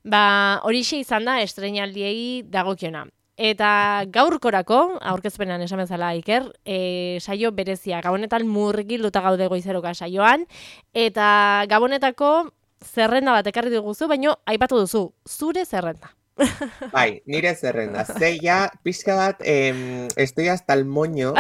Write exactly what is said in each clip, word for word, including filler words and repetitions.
Ba, horixe izan da estreinaldiei dagokiona. Eta gaurkorako, aurkezpenan esan bezala Iker, e, saio berezia, gabonetan murgilduta gaude goizeroka saioan, eta gabonetako zerrenda bat ekarri diguzu, baino aipatu duzu, zure zerrenda. Bai, nire zerrenda. Zeia, pixka bat, eh, estoy hasta el moño.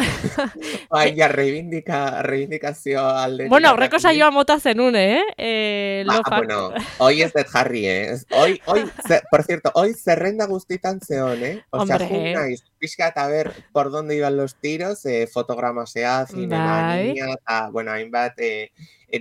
Bai, ja, reivindika, reivindikazio aldetik. Bueno, aurreko saioa mota zenun, eh? eh ba, bueno, hoy ez dut jarri, eh? Hoy, hoy, ze, por cierto, hoy zerrenda guztitan zeon, eh? O sea, jun naiz, pixka eta ver por dónde iban los tiros, eh, fotogramasea, zinema, niña, eta, bueno, hainbat, eh,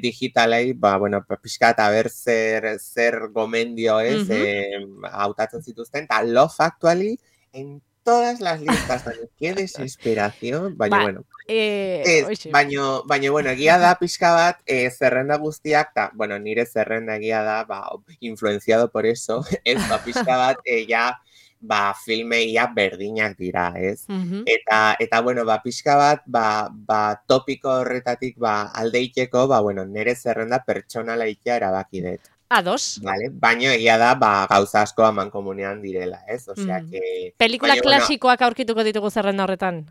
digitalei, ba, bueno, pixka eta ber zer, zer gomendio ez, uh-huh. eh, hautatzen zituzten, eta Love Actually, en todas las listas, qué desesperación, baina, ba, bueno, eh, ez, baina, baina, bueno, egia da pixka bat, eh, zerrenda guztiak, ta, bueno, nire zerrenda egia da, ba, influenciado por eso, ez, ba, pixka bat, eh, ja, ba, filmeia berdinak dira, ez? Uh-huh. Eta, eta, bueno, ba, pixka bat, ba, ba, topiko horretatik, ba, aldeiteko, ba, bueno, nire zerrenda pertsonala ikia erabaki dut. Ados. Vale, baina egia da, ba, gauza asko aman komunean direla, ez? Osea, mm. que... Pelikula baina, klasikoak bueno, aurkituko ditugu zerrenda horretan.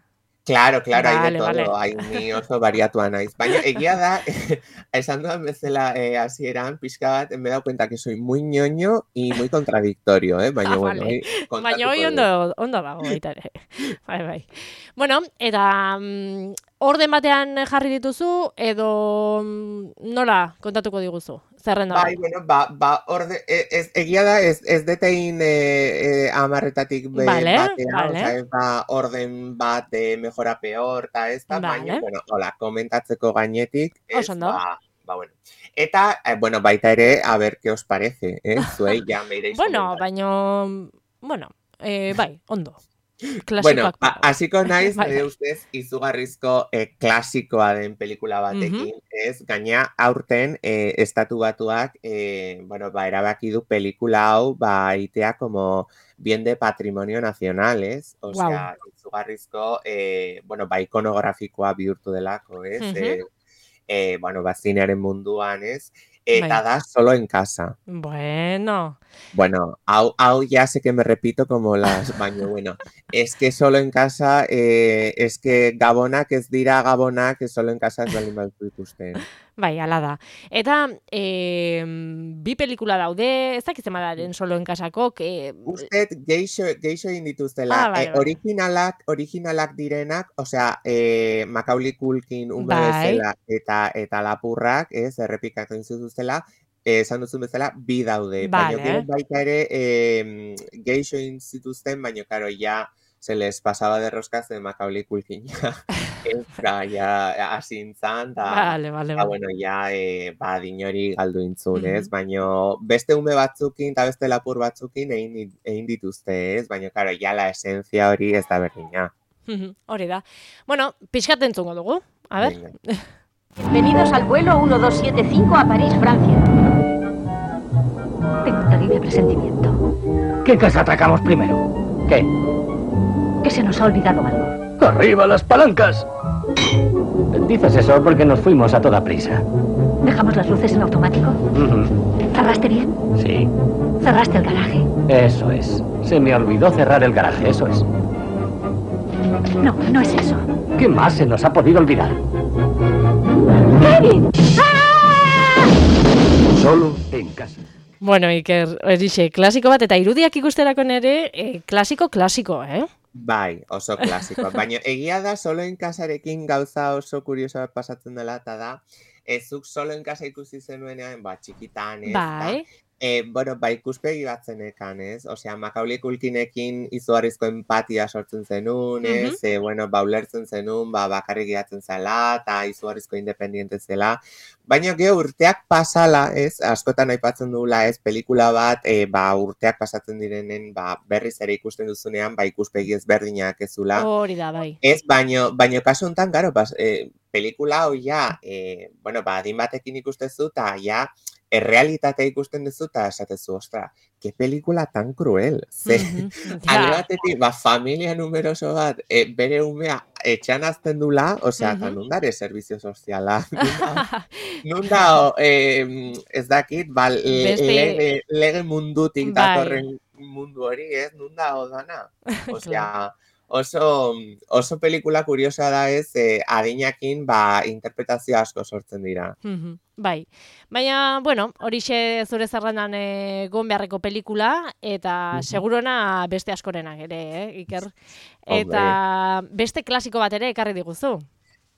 Claro, claro, vale, hay de todo, vale. hay ni oso variatua naiz. Baina egia da, esan duan bezala eh, hasieran, pixka bat, me he dado cuenta que soy muy ñoño y muy contradictorio, eh? Baina, ah, bueno, vale. Baina hoi ondo, ondo dago, baita ere. Bai, bai. Bueno, eta mm, orden batean jarri dituzu, edo mm, nola kontatuko diguzu? Zerrenda bai, bueno, ba, ba, orde, ez, egia da, ez, ez detein e, e, amarretatik be, vale, batean, vale. oza, ez ba, orden bat de mejora peor, eta ez da, vale. Baina, bueno, hola, komentatzeko gainetik, ez, ba, ba, bueno. Eta, eh, bueno, baita ere, a ver, ¿qué os parece? Eh? Zuei, ja, me ireiz bueno, baina, bueno, eh, bai, ondo. Bueno, hasiko naiz, nire ustez, izugarrizko eh, klasikoa den pelikula batekin, uh-huh. ez, gaina aurten eh, estatu batuak, eh, bueno, ba, erabaki du pelikula hau, ba, itea como bien de patrimonio nacional, ez? O wow. sea, izugarrizko, eh, bueno, ba, ikonografikoa bihurtu delako, ez? Uh-huh. eh, eh, bueno, ba, zinearen munduan, ez? Eta da solo en casa. Bueno. Bueno, au, au ya sé que me repito como las baño, bueno, es que solo en casa, eh, es que gabonak ez dira gabonak, que solo en casa ez baldin badu ikusten. Bai, ala da. Eta eh, bi pelikula daude, ez dakiz emadaren solo en casako, que... Usted geixo, geixo indituztela, ah, bai, eh, bai. originalak, originalak direnak, osea, eh, Macaulay Culkin ume bai. bezala eta, eta lapurrak, ez, errepikatzen zuzuztela, esan duzun bezala, bi daude. Vale. Baina gero baita ere eh, geixo zituzten, baina karo, ja se les pasaba de roskas de Macaulay Culkin ja, ezka, ja, asintzan, eta, vale, vale, ta, vale. bueno, ja, eh, ba, dinori galdu intzun, ez? Mm-hmm. Baina beste ume batzukin, eta beste lapur batzukin egin, egin dituzte, ez? Baina, karo, ja, la esencia hori ez da berdina. Hori da. Bueno, pixkat entzungo dugu. A ver. Venga. Bienvenidos al vuelo uno dos siete cinco a París, Francia. Tengo un terrible presentimiento. ¿Qué casa atacamos primero? ¿Qué? Que se nos ha olvidado algo. ¡Arriba las palancas! Dices eso porque nos fuimos a toda prisa. ¿Dejamos las luces en automático? Uh-huh. ¿Cerraste bien? Sí. ¿Cerraste el garaje? Eso es. Se me olvidó cerrar el garaje, eso es. No, no es eso. ¿Qué más se nos ha podido olvidar? ¡Kevin! ¡Ah! Solo en casa. Bueno, Iker, erixe, klasiko bat, eta irudiak ikusterako nere, eh, klasiko, klasiko, eh? Bai, oso klasiko. Baina egia da, solo en casarekin gauza oso kurioso bat pasatzen dela, eta da, ezuk solo en casa ikusi zenuenean, ba, txikitan, ez? Bai. Da, Eh, bueno, ba, ikuspegi bat zenekan, ez? Osea, Macaulay Culkinekin izugarrizko empatia sortzen zenun, ez? Uh-huh. E, bueno, ba, ulertzen zenun, ba, bakarrik gehatzen zela, eta izugarrizko independiente zela. Baina, geho, urteak pasala, ez? Askotan aipatzen dugula, ez? Pelikula bat, e, ba, urteak pasatzen direnen, ba, berriz ere ikusten duzunean, ba, ikuspegi ezberdinak ezula. Hori da, bai. Ez, baino, baino kasu honetan, garo, bas, e, pelikula hoi ja, e, bueno, ba, adin batekin ikustezu, eta ja, errealitatea ikusten duzu eta esatezu, ostra, que pelikula tan cruel. Ze, mm-hmm. Alde batetik, ba, familia numeroso bat, e, bere umea etxean azten dula, osea, eta Mhm. nundare servizio soziala. Nunda, eh, ez dakit, ba, le- Beste, lege, lege mundutik bai, datorren mundu hori, ez? Nunda odana. claro. Osea, oso, oso pelikula kuriosa da ez, eh, adinakin, ba, interpretazio asko sortzen dira. Mhm, bai, baina, bueno, horixe zure zerrendan eh, egon beharreko pelikula, eta Mhm. segurona beste askorenak ere, eh, Iker. Hombre. Eta beste klasiko bat ere ekarri diguzu.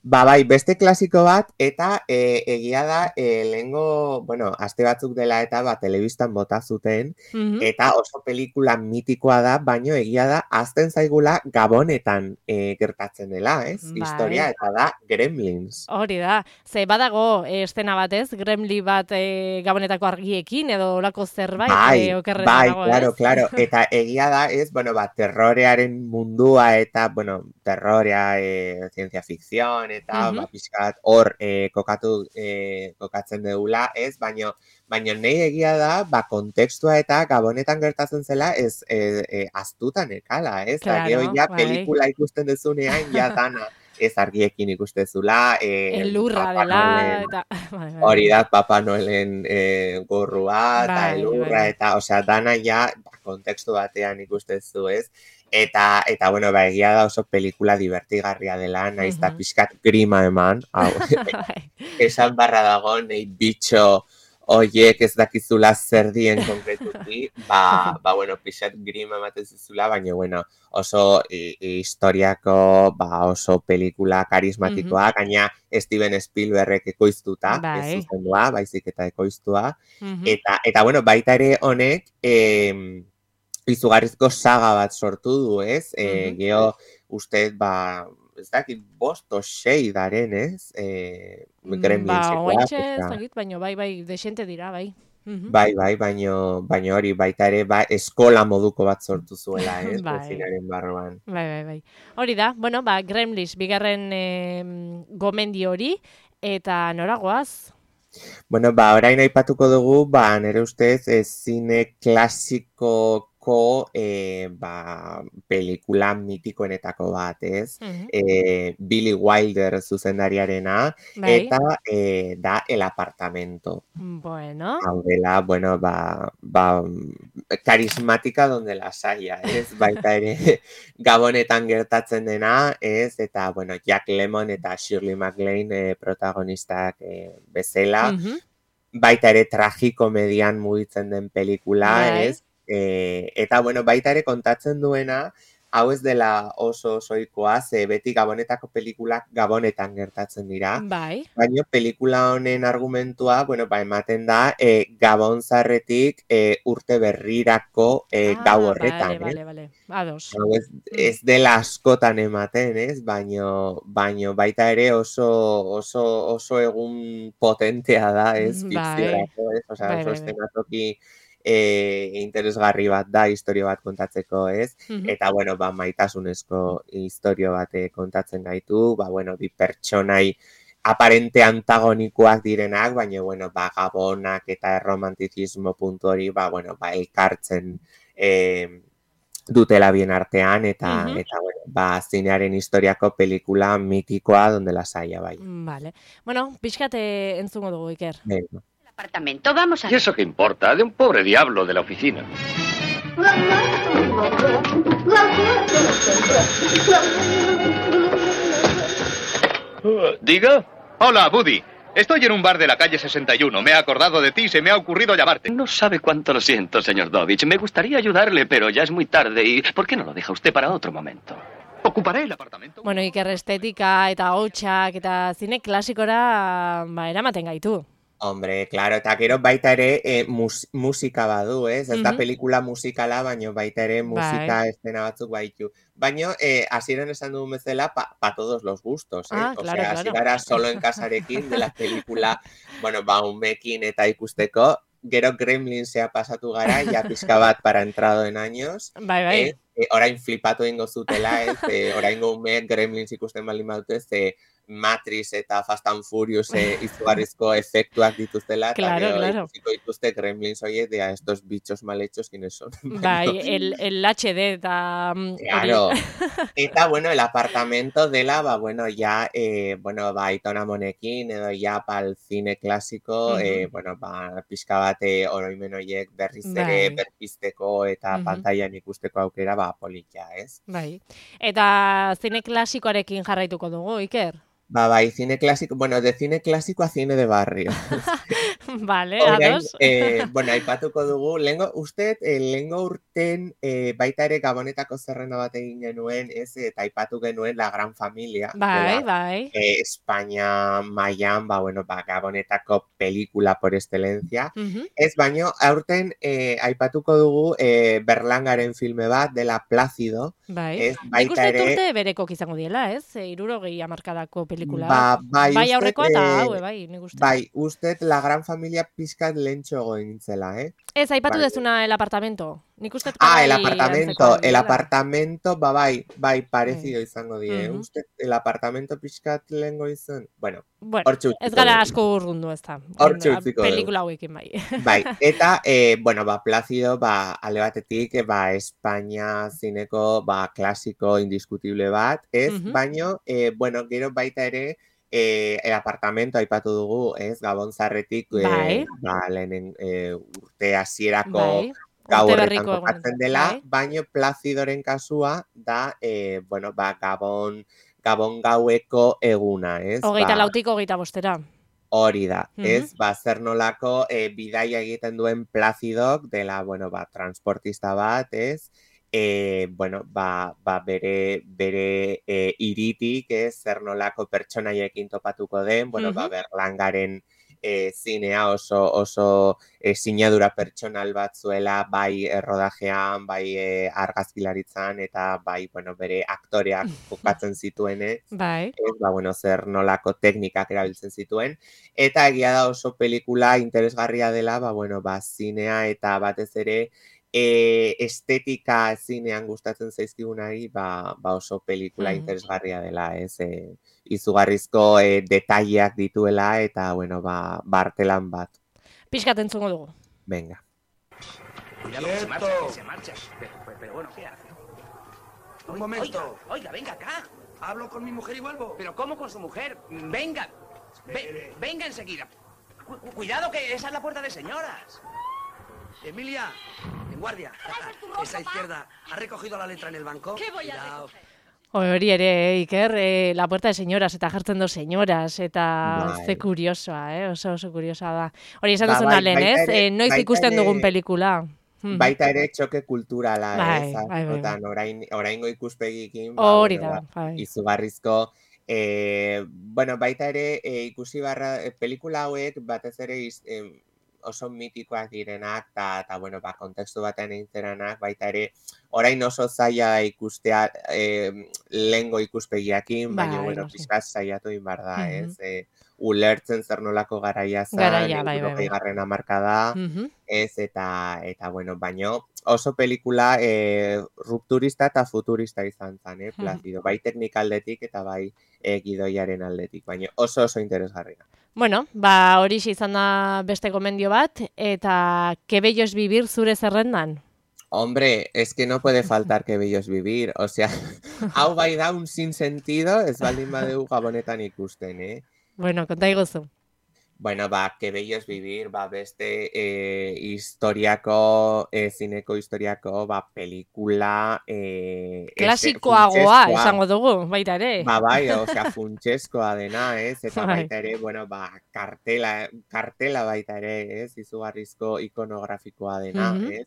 Ba, bai, beste klasiko bat, eta e, egia da, e, lehengo, bueno, aste batzuk dela eta ba, telebistan bota zuten, Mhm. eta oso pelikula mitikoa da, baino egia da, azten zaigula Gabonetan e, gertatzen dela, ez? Bai. Historia, eta da Gremlins. Hori da, ze badago eh, estena batez, gremli bat eh, gabonetako argiekin, edo olako zerbait Bai, eh, okerrez bai, dago, claro, ez? claro. Eta egia da, ez, bueno, ba, terrorearen mundua eta, bueno, terrorea, e, zientzia fikzion eta, Mhm. ba, pixkat hor e, kokatu, e, kokatzen dugula, ez, baino, baino nahi egia da, ba, kontekstua eta Gabonetan gertatzen zela, ez, e, e, aztutan ekala, ez, eta gero Claro, ja bai. pelikula ikusten dezunean, ja dana, ez argiekin ikustezula, e, Elurra Papa dela, Noelen, eta... Bai, bai, hori bai. da, Papa Noelen e, gorrua, eta Bai, bai, elurra, bai. eta, osea, dana ja, ba, kontekstu batean ikustezu, ez? Eta, eta, bueno, ba, egia da oso pelikula divertigarria dela, naiz eta Mhm. pixkat grima eman, hau, Bai. esan barra dago, nahi bitxo oiek ez dakizula zer dien konkretuki, ba, ba, bueno, pixat grima ematen zizula, baina, bueno, oso i, historiako, ba, oso pelikula karismatikoa, gaina Steven Spielbergek ekoiztuta, ez Bai. zuzendua, baizik eta ekoiztua, Mhm. eta, eta, bueno, baita ere honek, em, izugarrizko saga bat sortu du, ez? E, Mhm. Geo, uste, ba, ez dakit, bost o sei daren, ez? E, Mm, Ba, Gremlinsekoak, oaintxe ez osea, dakit, baina bai, bai, desente dira, bai. Mhm. bai, bai, baino, baino hori, baita ere, ba, eskola moduko bat sortu zuela, ez? Bai. Zinaren barruan. Bai, bai, bai. Hori da, bueno, ba, Gremlins, bigarren em, gomendio hori, eta noragoaz? Bueno, ba, orain aipatuko dugu, ba, nire ustez, e, zine klasikoko, e, ba, pelikula mitikoenetako bat, ez? Mhm. E, Billy Wilder zuzendariarena, Bai. eta e, da El Apartamento. Bueno, Hau dela, bueno, ba, ba, karismatika donde las haya, ez? Baita ere, Gabonetan gertatzen dena, ez? Eta, bueno, Jack Lemmon eta Shirley MacLaine e, protagonistak e, bezala, mhm, baita ere tragikomedian mugitzen den pelikula, bai, ez? E, eta, bueno, baita ere kontatzen duena, hau ez dela oso osoikoa, ze beti Gabonetako pelikulak Gabonetan gertatzen dira, bai. baina pelikula honen argumentua, bueno, ba, ematen da, e, Gabon zarretik e, urte berrirako e, gau Ah, horretan, bale, eh? bale, bale. Ados. Hau ez, ez dela askotan ematen, ez? Baino, baino baita ere oso, oso, oso egun potentea da, ez? Bai, Fikziorako, ez? Osea, bai, oso bai, bai. eszenatoki e, interesgarri bat da, historio bat kontatzeko, ez? Mhm. Eta, bueno, ba, maitasunezko historio bat eh, kontatzen gaitu, ba, bueno, bi pertsonai aparente antagonikoak direnak, baina, bueno, ba, Gabonak eta erromantizismo puntu hori, ba, bueno, ba, elkartzen eh, dutela bien artean, eta, Mhm. eta bueno, ba, zinearen historiako pelikula mitikoa donde las haya, bai. Vale. Bueno, pixkate entzungo dugu, Iker. Venga. Apartamento, vamos a ¿Y eso qué importa? De un pobre diablo de la oficina. Uh, ¿Diga? Hola, Buddy. Estoy en un bar de la calle sesenta y uno. Me he acordado de ti y se me ha ocurrido llamarte. No sabe cuánto lo siento, señor Dovich. Me gustaría ayudarle, pero ya es muy tarde. ¿Y por qué no lo deja usted para otro momento? Ocuparé el apartamento. Bueno, Iker, estetika eta hotxak eta zine klasikora ba, eramaten gaitu. Hombre, claro, eta gero baita ere e, mus, musika badu, ez? Ez da Mhm. pelikula musikala, baino baita ere musika Bai. estena batzuk baitu. Baino, eh, hasieran esan dugun bezala, pa, pa todos los gustos, eh? Ah, O claro, sea, hasi claro. gara solo en casarekin de la pelikula, bueno, ba, umekin eta ikusteko, gero Gremlinsea pasatu gara, ja pixka bat para entrado en años, Bai, bai. eh? E, orain flipatu egingo zutela, ez? E, oraingo umeek Gremlins ikusten baldin badute, ze Matrix eta Fast and Furious e, izugarrizko efektuak dituztela, eta Claro, gero claro. ikusiko dituzte Gremlins horiek, de estos bichos mal hechos, ¿quiénes son? Bai, el, el H D eta mm, hori. Claro. Eta, bueno, el apartamento dela, ba, bueno, ja, eh, bueno, ba, Aitona Monekin, edo ja, pal cine klasiko, Mhm. eh, bueno, ba, pixka bat eh, oroimen horiek berriz ere Bai. berpizteko eta Mhm. pantailan ikusteko aukera, ba, politia, ez? Bai. Eta zine klasikoarekin jarraituko dugu, Iker? Ba, bai, cine clásico, bueno, de cine clásico a cine de barrio. Vale, Orain, ados. eh, bueno, aipatuko dugu, lehengo, uste, eh, lehengo urten eh, baita ere Gabonetako zerrenda bat egin genuen, ez, eta aipatu genuen La Gran Familia, Bai, dela, bai. eh, Espainia mailan, ba, bueno, ba, Gabonetako pelikula por excelencia. Mhm. Ez, baino, aurten eh, aipatuko dugu eh, Berlangaren filme bat, dela Plácido, Bai. ez, Nik baita uste dut ere, urte berekok izango diela, ez? E, irurogei hamarkadako pelikula. ba, bai, Bai ustet, aurrekoa eta eh, haue, bai, nik uste. bai, ustet La Gran Familia pizkat lehentxo egintzela, eh? Ez, aipatu Bai. dezuna El Apartamento. Nik uste Ah, el bai apartamento, antzekoak el direla. apartamento, ba, bai, bai, parecido izango die, Mhm. uste, el apartamento pixkat lehengo izan, bueno, Bueno, hortxe ez utziko gara dugu. asko urrundu ez da. Hortxe utziko dugu. Pelikula hauekin bai. Bai, eta, eh, bueno, ba, Plácido, ba, alde batetik, eh, ba, Espainia zineko, ba, klasiko indiskutible bat, ez? Mhm. Baino, eh, bueno, gero baita ere, eh, el apartamento aipatu dugu, ez? Gabon zarretik, eh, Bai. ba, lehenen eh, urte hasierako Bai. gau Urte horretan berriko egun. kokatzen dela, Bai. baino Plácidoren kasua da, eh, bueno, ba, Gabon, Gabon gaueko eguna, ez? Hogeita Ba, lautik hogeita bostera. hori da, Mhm. ez? Ba, zer nolako eh, bidaia egiten duen Plazidok dela, bueno, ba, transportista bat, ez? Eh, bueno, ba, ba bere, bere eh, iritik, ez? Zer nolako pertsonaiekin topatuko den, bueno, ba, Mhm. Berlangaren eh, zinea oso, oso eh, sinadura pertsonal bat zuela, bai eh, rodajean, bai eh, argazkilaritzan, eta bai, bueno, bere aktoreak kokatzen zituen, ez? Bai. Ez, ba, bueno, zer nolako teknikak erabiltzen zituen. Eta egia da oso pelikula interesgarria dela, ba, bueno, ba, zinea eta batez ere e, estetika zinean gustatzen zaizkigunari, ba, ba oso pelikula Mhm. interesgarria dela, ez? E, izugarrizko e, detaileak dituela eta, bueno, ba, bartelan bat. Pixkat entzungo dugu. Venga. Cuidado, que se marcha, que se marcha. Pero, pero, pero bueno, ¿qué hace? Un momento. Oiga, oiga, venga acá. Hablo con mi mujer y vuelvo. ¿Pero cómo con su mujer? Venga. Ve- venga enseguida. Cu- cu- cuidado, que esa es la puerta de señoras. Emilia, en guardia. Esa izquierda. ¿Ha recogido la letra en el banco? ¿Qué voy a Hori ere, eh, Iker, eh, La Puerta de Señoras, eta jartzen do señoras, eta Bai. ze kuriosoa, eh? oso oso kuriosa da. Hori esan Ba, duzuna bai, lehen, baita ez? ere- Eh, noiz baita ikusten ere- dugun pelikula. Mhm. Baita ere txoke kulturala, Bai, ez? bai, bai, Askotan, orain, oraingo ikuspegikin, ba, Hori bueno, da, ba, bai. izugarrizko, eh, bueno, baita ere eh, ikusi barra, eh, pelikula hauek batez ere iz, em, oso mitikoak direnak, eta, ta, bueno, ba, kontekstu batean eginteranak, baita ere, orain oso zaila da ikustea eh, lehengo ikuspegiakin, baina, Bai, bueno, noski. pixkat saiatu egin behar da, Mhm. ez? Eh, ulertzen zer nolako garaia zan, Garaia, bai, bai, bai. hirurogeigarren hamarkada, Mhm. ez, eta, eta, bueno, baino, oso pelikula eh, rupturista eta futurista izan zen, eh, Plazido. Bai teknikaldetik eta bai eh, gidoiaren aldetik, baina oso oso interesgarria. Bueno, ba hori izan da beste gomendio bat, eta que bello es vivir zure zerrendan. Hombre, es que no puede faltar que bello es vivir, o sea, hau bai da un sinsentido, ez baldin badeu gabonetan ikusten, eh? Bueno, konta iguzu. Bueno, ba, que bello es vivir, ba, beste eh, historiako, eh, zineko historiako, ba, pelikula... Eh, este- Klasikoagoa, funtsezkoa. esango dugu, baita ere. Ba, bai, osea, funtsezkoa dena, ez? Eta Bai. baita ere, bueno, ba, kartela, kartela baita ere, ez? Izugarrizko ikonografikoa dena, Mhm. ez?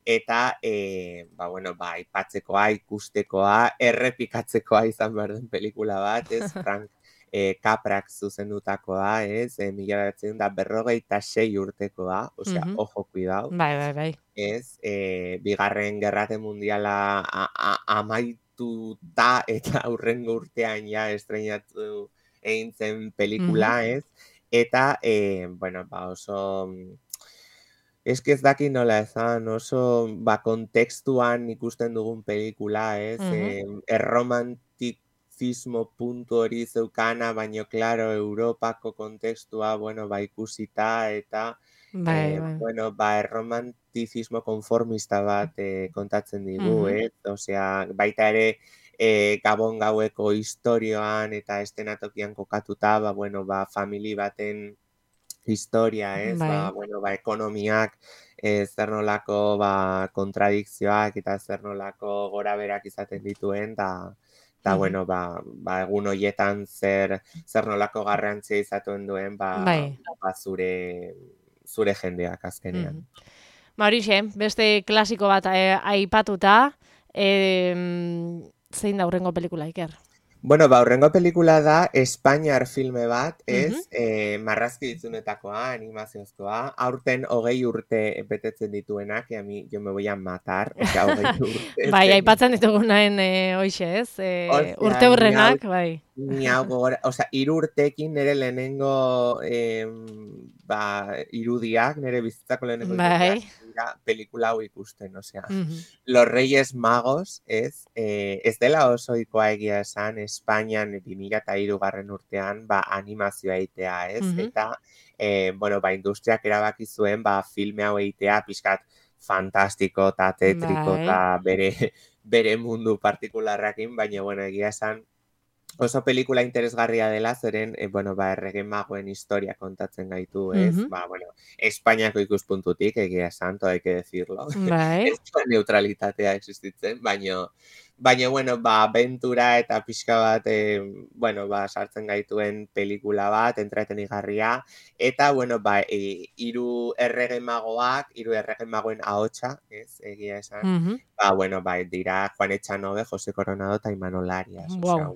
Eta, eh, ba, bueno, ba, aipatzekoa, ikustekoa, errepikatzekoa izan behar den pelikula bat, ez? Frank eh, Caprak zuzendutakoa, ez? Eh, mila bederatziehun eta berrogeita sei urtekoa, osea, Mhm. ojo, cuidao, Bai, bai, bai. ez? Eh, bigarren gerrate mundiala a, a, amaituta eta aurrengo urtean ja estreinatu egin zen pelikula, ez? Eta, eh, bueno, ba, oso... Ez que ez daki nola ezan, oso, ba, kontekstuan ikusten dugun pelikula, ez? Mhm. Eh, romantizismo puntu hori zeukana, baino, klaro, Europako kontekstua, bueno, ba, ikusita, eta, bai, eh, bai. bueno, ba, erromantizismo konformista bat eh, kontatzen digu, Mhm. eh? Osea, baita ere, eh, Gabon gaueko historioan eta estenatokian kokatuta, ba, bueno, ba, famili baten historia, ez? Ba, Bai. bueno, ba, ekonomiak, eh, zer nolako, ba, kontradikzioak eta zer nolako gora berak izaten dituen, da, da, Mhm. bueno, ba, ba, egun hoietan zer, zer nolako garrantzia izaten duen, ba, Bai. ba zure, zure jendeak azkenean. Mhm. Ba, horixe, beste klasiko bat eh, aipatuta, eh, zein da hurrengo pelikula, Iker? Bueno, ba, hurrengo pelikula da Espainiar filme bat, ez? Mhm. Eh, marrazki ditzunetakoa, animaziozkoa, aurten hogei urte betetzen dituenak, e, a mi, yo me voy a matar, osea, hogei urte. Bai, aipatzen ditugunaen eh, hoxe, ez? Eh, Osea, urte ni hurrenak, hau, bai. ni hau gogora, osea, hiru urtekin nire lehenengo, eh, ba, irudiak, nire bizitzako lehenengo Bai. irudiak, dira pelikula hau ikusten, osea. Mhm. Los Reyes Magos, ez? Eh, ez dela oso ohikoa egia esan, Espainian bi mila hirugarren urtean, ba, animazioa egitea, ez? Mhm. Eta, eh, bueno, ba, industriak erabaki zuen, ba, filme hau egitea, pixkat fantastiko eta tetriko Bai. eta bere, bere mundu partikularrakin, baina, bueno, egia esan, oso pelikula interesgarria dela, zeren, eh, bueno, ba, errege magoen historia kontatzen gaitu, ez? Mhm. Ba, bueno, Espainiako ikuspuntutik, egia esan, todo hay que decirlo. Bai. Ez da neutralitatea existitzen, baino, baina, bueno, ba, aventura eta pixka bat, eh, bueno, ba, sartzen gaituen pelikula bat, entretenigarria, eta, bueno, ba, e, hiru errege magoak, hiru errege magoen ahotsa, ez, egia esan, Mhm. ba, bueno, ba, dira Juan Echanove, José Coronado eta Imanol Arias, osea, Wow.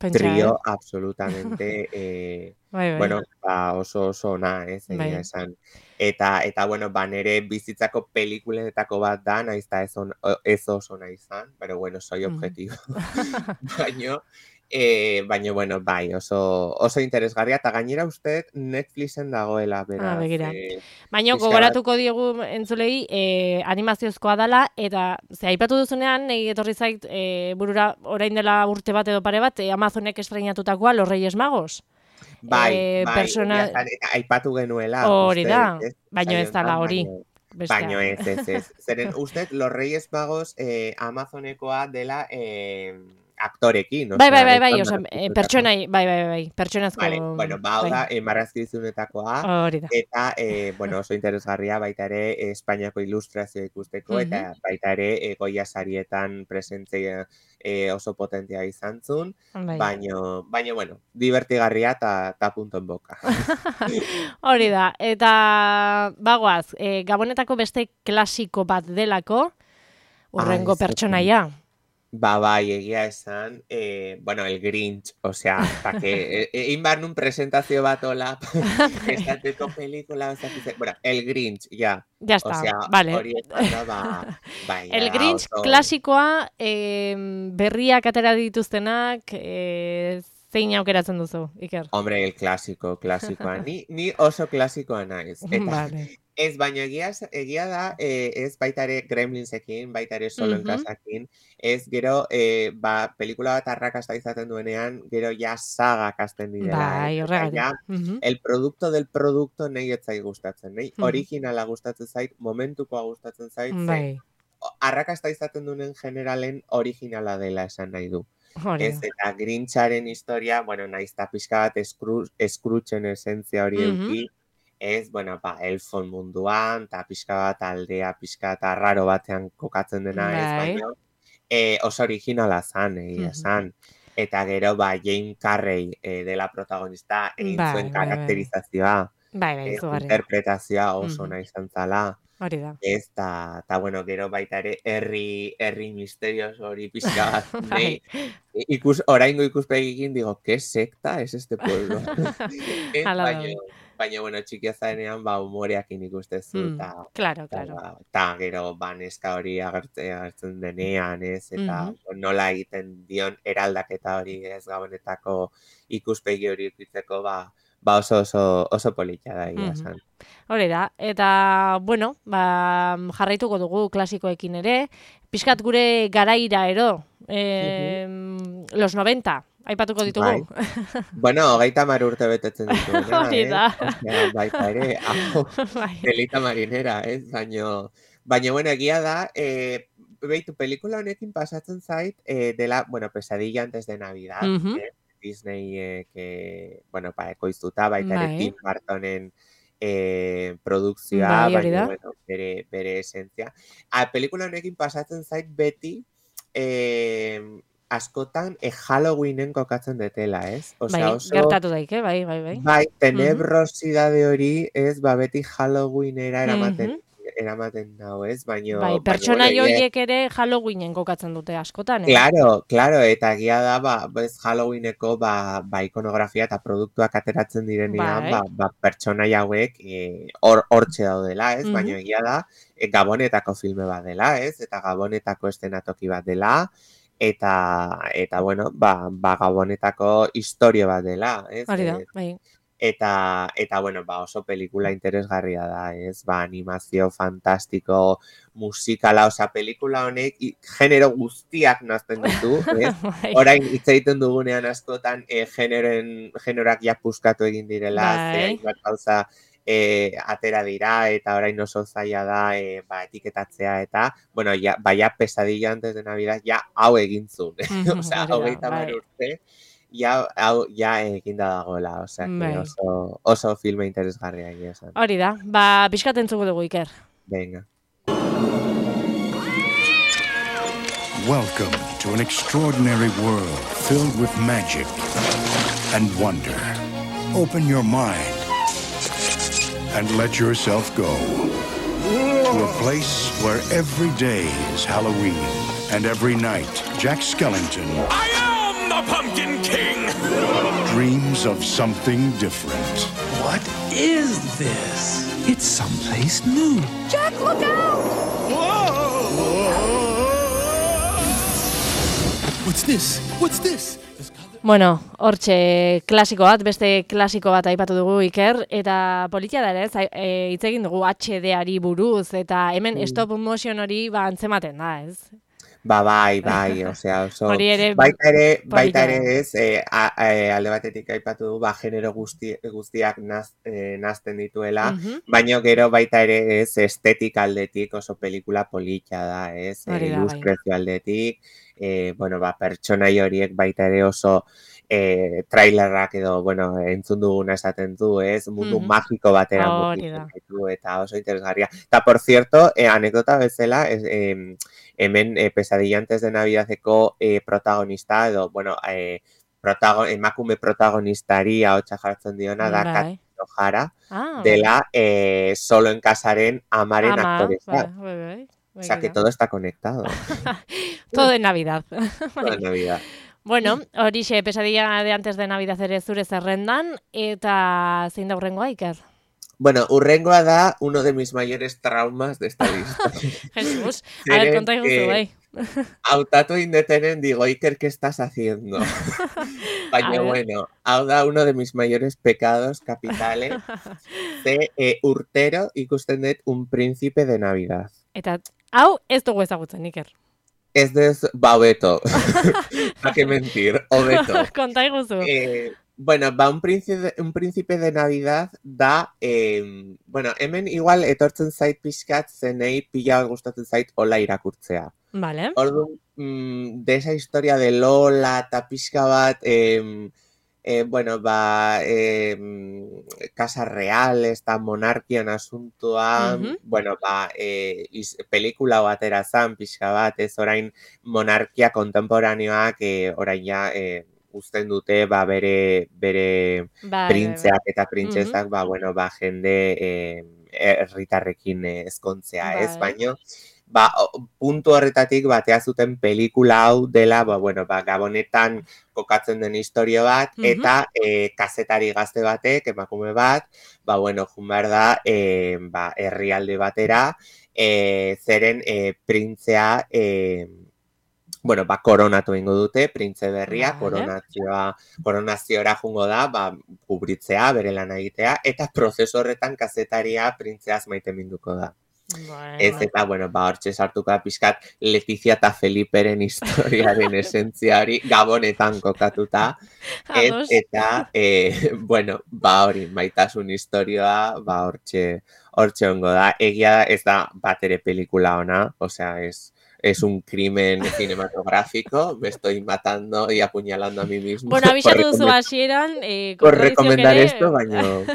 un Pentsa, trio eh? absolutamente, eh, Bai, bai. bueno, ba, oso oso ona, ez, egia Bai. esan. Eta, eta, bueno, ba, nire bizitzako pelikuletako bat da, naiz eta ez, on, ez oso nahi izan, pero bueno, soy Mhm. objetivo. Baino, eh, baino, bueno, bai, oso, oso interesgarria, eta gainera uste Netflixen dagoela, Ah, beraz. begira. Eh, Baina pixka bat, gogoratuko diegu entzulei eh, animaziozkoa dela, eta ze aipatu duzunean, nahi etorri zait eh, burura orain dela urte bat edo pare bat, eh, Amazonek estreinatutakoa, Los Reyes Magos. bai, Eh, bai, persona... egia esan, eta aipatu genuela, Hori uste, da, ez, baino ez dala saionetan, hori. baino, Bestea. baino ez, ez, ez. Zeren, uste, Los Reyes Magos eh, Amazonekoa dela eh, aktorekin, Bai, bai, osea, bai, ez bai, da osea, eh, marrazkizunetakoa. pertsonai, bai, bai, bai, pertsonazko, Vale, bueno, ba, hau bai. da, eh, marrazkizunetakoa, Hori da. eta, eh, bueno, oso interesgarria baita ere eh, Espainiako ilustrazioa ikusteko, Mhm. eta baita ere eh, Goya sarietan presentzia eh, oso potentia izan zuen, Bai. baino, baino, bueno, divertigarria eta ta punto en boca. Hori da, eta bagoaz, eh, Gabonetako beste klasiko bat delako, hurrengo Ai, ze pertsonaia. Ba, bai, egia esan, eh, bueno, el Grinch, osea, pa que, egin behar nun presentazio bat hola, esateko pelikula, o sea, bueno, el Grinch, ja, Ya está, osea, vale. hori esanda, ba, bai, El da, Grinch oso, klasikoa, eh, berriak atera dituztenak, eh, zein aukeratzen duzu, Iker? hombre, el clásico, klasikoa, ni, ni oso klasikoa naiz, eta, Vale. ez, baina egia, egia da, eh, ez baita ere Gremlinsekin, baita ere Solo en Mhm. Casakin, ez gero, eh, ba, pelikula bat arrakasta izaten duenean, gero ja sagak hasten direla, Bai, eh? Eta horregatik. ja, Mhm. el producto del producto nahi ez zait gustatzen, nahi Mhm. originala gustatzen zait, momentukoa gustatzen zait, ze Bai, arrakasta izaten duen generalen originala dela esan nahi du. hori Ez, da. eta Grincharen historia, bueno, nahiz eta pixka bat eskru, eskrutxen esentzia hori Mhm. euki, ez, bueno, ba, elfon munduan, eta pixka bat aldea, pixka eta raro batean kokatzen dena, ez, Bai. baina eh, oso originala zan, egia Mhm. esan. Eta gero, ba, Jane Carrey eh, dela protagonista, egin Bai, zuen bai, bai. karakterizazioa, Bai, bai, eh, izugarria. interpretazioa oso Mhm. nahi izan zala. Hori da. Ez, eta, ta, bueno, gero baita ere herri, herri misterioso hori pixka bat, Bai. nahi, ikus, oraingo ikuspegikin digo, ¿qué secta es este pueblo? Ez, Hala da. baina, baina, bueno, txikia zarenean, ba, humoreakin ikustezu, Mm, eta, claro, eta, claro. eta gero, ba, neska hori agertzen, agertzen denean, ez, eta Mhm. nola egiten dion eraldaketa hori, ez, Gabonetako ikuspegi hori ikutzeko, ba, ba oso, oso, oso polita da, egia Mhm. esan. Hori da, eta, bueno, ba, jarraituko dugu klasikoekin ere, pixkat gure garaira ero, eh, los noventa, aipatuko ditugu. Bai. Bueno, hogeita hamar urte betetzen dituena, Hori da. eh? Baita ere, hau, delita marinera, ez? Baina, baina, bueno, egia da, eh, behitu, pelikula honekin pasatzen zait, eh, dela, bueno, Pesadilla antes de Navidad, Mhm. eh? Disney, eh, que, bueno, ba, ekoiztuta, baita ere Bai. Tim Burtonen eh, produkzioa, Bai, hori baina, da. bueno, bere, bere esentzia. A, pelikula honekin pasatzen zait beti, eh, askotan e, Halloweenen kokatzen detela, ez? Bai, Osea, oso... gertatu daike, bai, bai, bai. Bai, Mhm. tenebrosidade hori, ez, ba, beti Halloweenera eramaten, Mhm. eramaten dau, ez? Baina, Bai, baina, pertsonai bueno, egia- horiek ere Halloweenen kokatzen dute askotan, eh? Claro, claro, eta egia da, ba, bez Halloweeneko, ba, ba, ikonografia eta produktuak ateratzen direnean, Bai. ba, ba, pertsonai hauek eh, hor hortxe daudela, ez? Mhm. Baina egia da, e, Gabonetako filme bat dela, ez? Eta Gabonetako eszenatoki bat dela, eta, eta bueno, ba, ba, Gabonetako historia bat dela, ez? Hori da, Eh, bai. Eta, eta, bueno, ba, oso pelikula interesgarria da, ez? Ba, animazio fantastiko, musikala, osea, pelikula honek i- genero guztiak nazten ditu, ez? Bai. Orain hitz egiten dugunean askotan e, generoen, generoak ja puskatu egin direla, ze Bai. hainbat gauza e, atera dira, eta orain oso zaila da e, ba, etiketatzea, eta, bueno, ja, baia Pesadilla antes de Navidad, ja hau egin zuen, Mhm, osea, hori da, hogeita hamar bai. urte, ja, hau, ja eginda dagoela, osea, que Bai. oso, oso filme interesgarria egia esan. Hori da, ba, pixkat entzuko dugu, Iker. Venga. Welcome to an extraordinary world filled with magic and wonder. Open your mind and let yourself go to a place where every day is Halloween and every night Jack Skellington I am the Pumpkin King! dreams of something different. What is this? It's someplace new. Jack, look out! What's this? What's this? Bueno, hortxe klasiko bat, beste klasiko bat aipatu dugu, Iker, eta politia da ere, ez, e, hitz egin dugu H D-ari buruz, eta hemen Mm. stop motion hori ba antzematen da, ez? Ba, bai, bai, osea, oso... Hori ere baita ere, baita polita ere da. ez, e, a, e, alde batetik aipatu du, ba, genero guzti, guztiak naz, e, nazten dituela, Mhm. baina gero baita ere ez, estetik aldetik oso pelikula polita da, ez, Hori e, da, bai. ilustrezio aldetik, e, bueno, ba, pertsonai horiek baita ere oso e, trailerrak edo, bueno, entzun duguna esaten du, ez, mundu Mhm. magiko batera Hori mugitzen da. ditu, eta oso interesgarria. Eta, por cierto, e, anekdota bezala, ez, em, hemen e, Pesadilla antes de Navidadeko e, protagonista, edo, bueno, e, protago, emakume protagonistari ahotsa jartzen diona da Bai. Kate O'Hara, Ah, dela e, Solo en Casaren amaren Ama, aktoresa. bai, bai, bai. O sea, que Begira. todo está conectado. Todo en Navidad. Toda Navidad. Bueno, horixe, Pesadilla de antes de Navidad ere zure zerrendan, eta zein da hurrengoa, Iker? Bueno, hurrengoa da uno de mis mayores traumas de esta lista. Jesus, a ver, Zeren, konta iguzu, eh, bai. Hautatu indetenen digo, Iker, ¿qué estás haciendo? Baina, A ver. bueno, hau da uno de mis mayores pecados capitales. Ze e, urtero ikusten dut Un príncipe de Navidad. Eta hau ez dugu ezagutzen, Iker. Ez dez, ba, hobeto. Pa que mentir, hobeto. Konta iguzu. Eh, bueno, ba, un príncipe, un príncipe de Navidad da, eh, bueno, hemen igual etortzen zait pixkat zenei pila bat gustatzen zait hola irakurtzea. Vale. Orduan, mm, de esa historia de Lola eta pixka bat, eh, eh, bueno, ba, eh, Casa Real, esta monarkian asuntoan, Mhm. bueno, ba, eh, iz, pelikula batera zan pixka bat, ez orain monarkia kontemporaneoak, eh, orain ja, eh, uzten dute, ba, bere, bere Bai, bai, bai. printzeak eta printzesak, ba, bueno, ba, jende eh, herritarrekin eh, ezkontzea, ez? Bai. Baino, ba, o- puntu horretatik batea zuten pelikula hau dela, ba, bueno, ba, Gabonetan kokatzen den historio bat, Mhm. eta eh, kazetari gazte batek, emakume bat, ba, bueno, jun behar da, eh, ba, herrialde batera, eh, zeren eh, printzea, eh, bueno, ba, koronatu egingo dute, printze berria, Vale. koronazioa, koronaziora jungo da, ba, kubritzea, bere lan egitea, eta prozesu horretan kazetaria printzeaz maite minduko da. Bueno. Ez, eta, bueno, ba, hortxe sartuko da pixkat Letizia eta Feliperen historiaren esentzia hori Gabonetan kokatuta. Ez, eta, e, bueno, ba, hori, maitasun historioa, ba, hortxe, hortxe ongo da. Egia da, ez da bat ere pelikula ona, osea, ez... Es un crimen cinematográfico, me estoy matando y apuñalando a mí mismo. Bueno, abixatu duzu hasieran, eh, por recomendar esto, baino...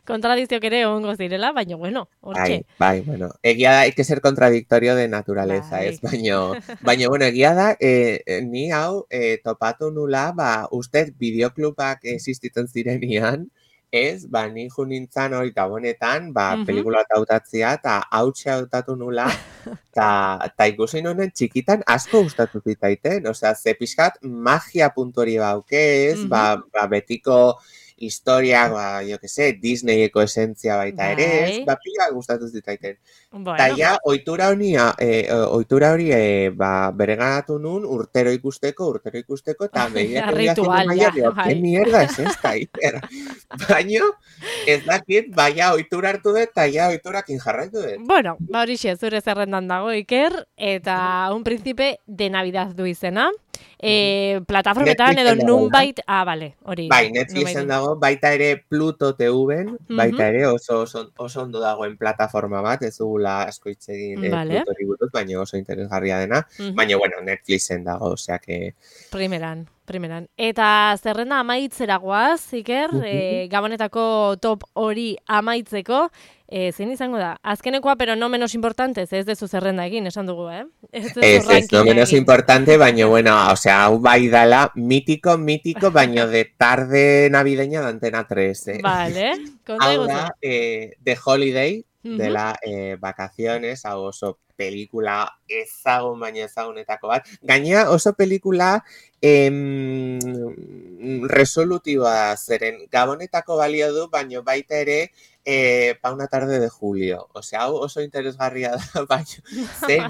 Kontradizio kere ongo zirela, baino, bueno, hortxe. Bai, bai, bueno, egia da, hay que ser contradictorio de naturaleza, ez, baino, baino, bueno, egia da, eh, ni hau eh, topatu nula, ba, uste bideoklubak existitzen zirenian, ez, ba, ni ju nintzen hori Gabonetan, ba, uh-huh. pelikula eta hautatzia, eta hautxe hautatu nula, eta ikusi nonen txikitan asko gustatu zitaiten, osea, ze pixkat magia puntu hori baukez, uh-huh. ba, ba, betiko historia, ba, jo que se, Disneyeko esentzia baita ere, ez, ba, pila gustatu zitaiten. Eta bueno. Ja, ohitura hori, eh, ohitura hori, eh, ba, bere ganatu nun, urtero ikusteko, urtero ikusteko, eta behiak ritual, ja, bai. Que mierda es esta, Iker? Baino, ez dakit, baina ohitura hartu dut, eta ja ohiturakin jarraitu dut. Bueno, ba hori xe, zure zerrendan dago, Iker, eta un príncipe de Navidad du izena. Eh, plataformetan edo nunbait, ah, vale, hori. Bai, Netflixen dago, baita ere Pluto T V-en, baita ere oso, oso, oso ondo dagoen plataforma bat, ez dugula asko hitz egin eh, vale. Pluto hori buruz, baina oso interesgarria dena, uh-huh. baina, bueno, Netflixen dago, osea que... Primeran, primeran. Eta zerrenda amaitzera goaz, Iker, uh-huh. eh, Gabonetako top hori amaitzeko, Eh, zein izango da? Azkenekoa, pero no menos importante, ez dezu zerrenda egin, esan dugu, eh? Ez, ez, ez no menos egin. Importante, baina, bueno, o sea, hau bai dala, mítico, mítico, baina de tarde navideña de Antena tres, eh? Vale, konta eguzu. Hau da, eh, The Holiday, uh-huh. de la eh, vacaciones, hau oso pelikula ezagun, baina ezagunetako bat. Gainea oso pelikula em, resolutiboa zeren, Gabonetako balio du, baina baita ere Eh, pa una tarde de julio. Osea, hau oso interesgarria da, baina ze,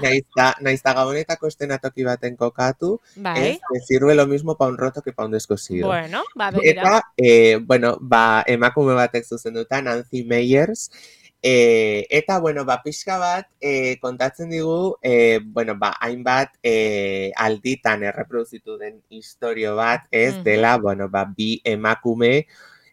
naiz da Gabonetako estenatoki baten kokatu, bai. Ez, que sirve lo mismo pa un roto que pa un descosido. Bueno, ba, begira. Eta, eh, bueno, ba, emakume batek zuzenduta, Nancy Meyers, eh, eta, bueno, ba, pixka bat, eh, kontatzen digu, eh, bueno, ba, hainbat eh, alditan erreproduzitu den historio bat, ez, mm-hmm. dela, bueno, ba, bi emakume,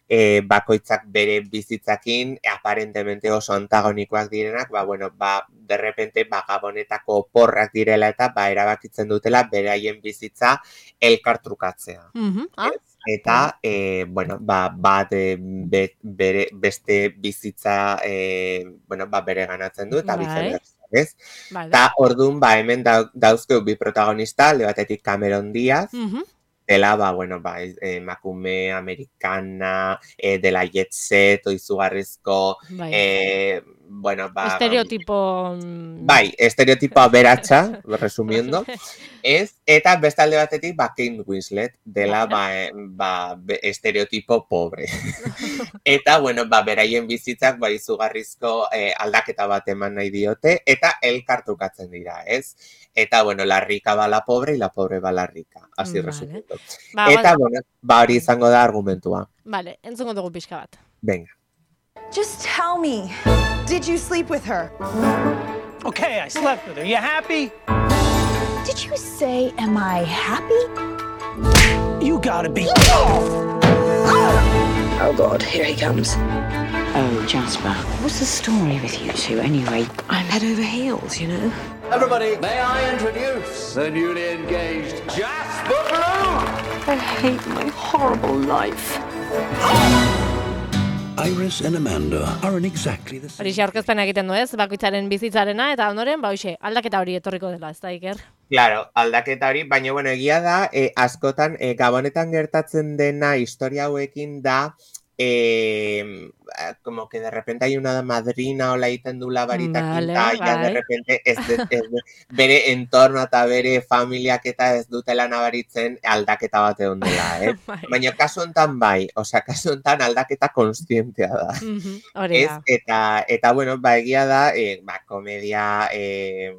E, bakoitzak bere bizitzakin aparentemente oso antagonikoak direnak, ba, bueno, ba, derrepente, ba, Gabonetako porrak direla eta, ba, erabakitzen dutela beraien bizitza elkartrukatzea. Mm-hmm. Ah. Eta, e, bueno, ba, bat e, be, bere, beste bizitza, e, bueno, ba, bere ganatzen du, eta bizitzak, ez? Eta, orduan, ba, hemen da, dauzkeu bi protagonista, alde batetik Cameron Diaz, mm-hmm. dela, ba, bueno, ba, emakume americana, eh, dela jet set, oizugarrizko, bai. eh, bueno, ba... Estereotipo... Bai, estereotipo aberatsa, resumiendo, ez, eta beste alde batetik, ba, Kate Winslet, dela, ba, ba, estereotipo pobre. Eta, bueno, ba, beraien bizitzak, ba, izugarrizko eh, aldaketa bat eman nahi diote, eta elkartukatzen dira, ez? Eta, bueno, la rica va la pobre y la pobre va la rica. Así vale. Resumiendo. Ba, eta, bueno, ba, hori izango da argumentua. Vale, entzungo dugu pixka bat. Venga. Just tell me, did you sleep with her? Okay, I slept with her. You happy? Did you say, am I happy? You gotta be... Oh, God, here he comes. Oh, Jasper, what's the story with you two anyway? I'm head over heels, you know. Everybody, may I introduce the newly engaged Jasper Bloom? I hate my horrible life. Iris and Amanda aren't exactly the same. Horixe aurkezpena egiten du ez, bakoitzaren bizitzarena, eta ondoren, ba hoxe, aldaketa hori etorriko dela, ez da, Iker? Claro, aldaketa hori, baina, bueno, egia da, eh, askotan, eh, Gabonetan gertatzen dena historia hauekin da, Eh, como que de repente hay una madrina o la egiten du la varita vale, quinta, vale. Ya de repente ez de, ez de, bere entorno eta bere familiak eta ez dutela nabaritzen aldaketa bat egon dela, eh? Baina kasu hontan bai, osea, kasu hontan aldaketa konstientea da. Mm-hmm, ez, eta, eta, bueno, ba, egia da, eh, ba, komedia... Eh,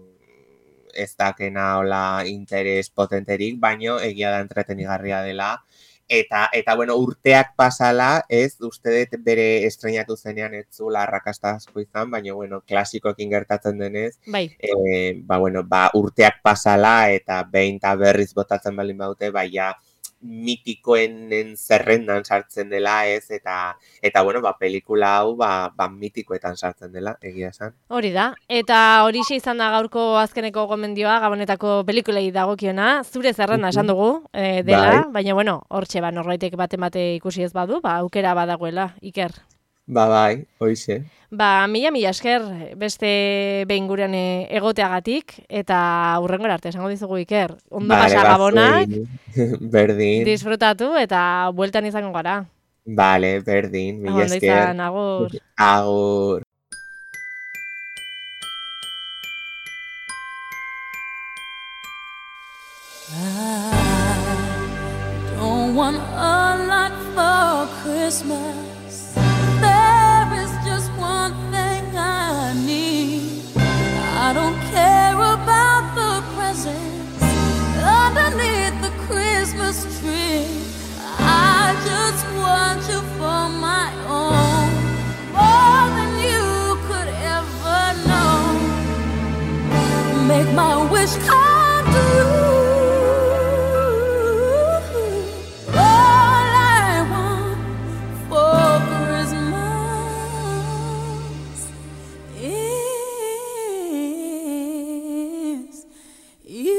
ez dakena hola interes potenterik, baino egia da entretenigarria dela, Eta, eta bueno, urteak pasala, ez, uste dut bere estrenatu zenean ez zula arrakasta asko izan, baina, bueno, klasikoekin gertatzen denez, bai. E, ba, bueno, ba, urteak pasala eta behin eta berriz botatzen balin baute, bai, ja, mitikoen zerrendan sartzen dela, ez, eta, eta bueno, ba, pelikula hau, ba, ba, mitikoetan sartzen dela, egia esan. Hori da, eta horixe izan da gaurko azkeneko gomendioa, Gabonetako pelikulei dagokiona, zure zerrenda esan dugu, e, dela, bai. Baina, bueno, hortxe, ba, norbaitek bate-bate ikusi ez badu, ba, aukera badagoela, Iker. Ba, bai, hoize. Ba, mila mila esker beste behin gurean egoteagatik, eta hurrengora arte, esango dizugu Iker. Ondo vale, pasa Gabonak, berdin. Disfrutatu eta bueltan izango gara. Vale, berdin, mila esker. Ondo izan, agur. Agur. I don't want a lot for Christmas. I don't care about the presents underneath the Christmas tree. I just want you for my own, more than you could ever know. Make my wish come true. All I want for Christmas is you.